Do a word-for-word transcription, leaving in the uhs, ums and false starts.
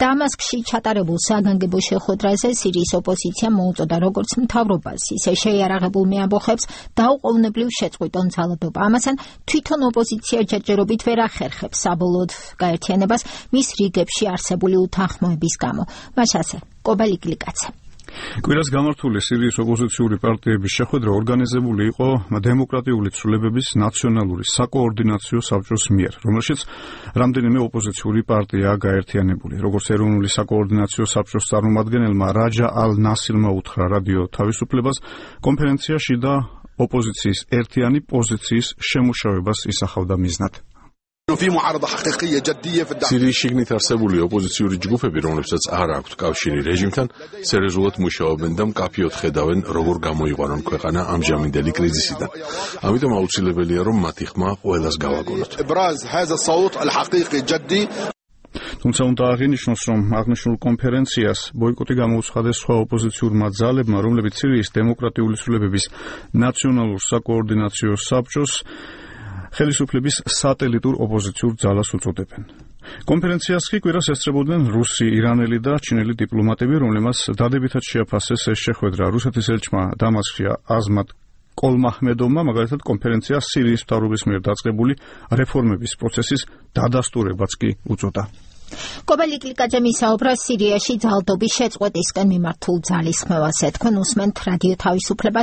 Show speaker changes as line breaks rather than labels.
დამასკში ჩატარებულ საგანგებო შეხვედრაზე სირიის ოპოზიციამ მოუწოდა როგორც მთავრობას, ისე შეიარაღებულ მეამბოხებს დაუყოვნებლივ შეწყვიტონ ძალადობა. ამასთან თვითონ ოპოზიცია ჯერჯერობით ვერ ახერხებს საბოლოოდ გაერთიანებას მის რიგებში არსებული უთანხმოების გამო. მაშასე კობალიკლიკაცე.
კვირას გამართული სირიის ოპოზიციური პარტიების შეხვედრა ორგანიზებული იყო დემოკრატიული ცვლილებების ნაციონალური საკოორდინაციო საბჭოს მიერ, რომელშიც რამდენიმე ოპოზიციური პარტიაა გაერთიანებული. როგორც ეროვნული საკოორდინაციო საბჭოს წარმომადგენელმა რაჯა ალ-ნასილმა უთხრა რადიო თავისუფლებას, კონფერენციაში და ოპოზიციის ერთიანი პოზიციის შემუშავებას ისახავდა მიზნად.
სირიის შიგნით არსებული ოპოზიციური ჯგუფები, რომლებსაც არ აქვთ კავშირი რეჟიმთან, სერიოზულად მუშაობენ და მკაფიოდ ხედავენ, როგორ გამოიყვანონ ქვეყანა ამჟამინდელი კრიზისიდან. ამიტომ აუცილებელია, რომ მათი ხმა ყველას გავაგონოთ.
თუმცა უნდა აღინიშნოს, რომ აღნიშნულ კონფერენციას ბოიკოტი გამოუცხადეს სხვა ოპოზიციურმა ძალებმა, რომლებიც სირიის დემოკრატიული ცვლილებების ნაციონალურ საკოორდინაციო საბჭოს ხელისუფლების სატელიტურ ოპოზიციურ ძალას უწოდებენ. კონფერენციას კი კვირას ესწრებოდნენ რუსი, ირანელი და ჩინელი დიპლომატები, რომლებმაც დადებითად შეაფასეს ეს შეხვედრა. რუსეთის ელჩმა დამასკში აზმატ კოლმაჰმედოვმა მაგალითად კონფერენციას სირიის მთავრობის მიერ დაწყებული რეფორმების პროცესის დადასტურებაც კი უწოდა.
კობალიკლიკაძე მისაუბრა სირიაში ძალადობის შეწყვეტისკენ მიმართულ ძალისხმევას. ეთქვენ უსმენთ რადიო თავისუფლებას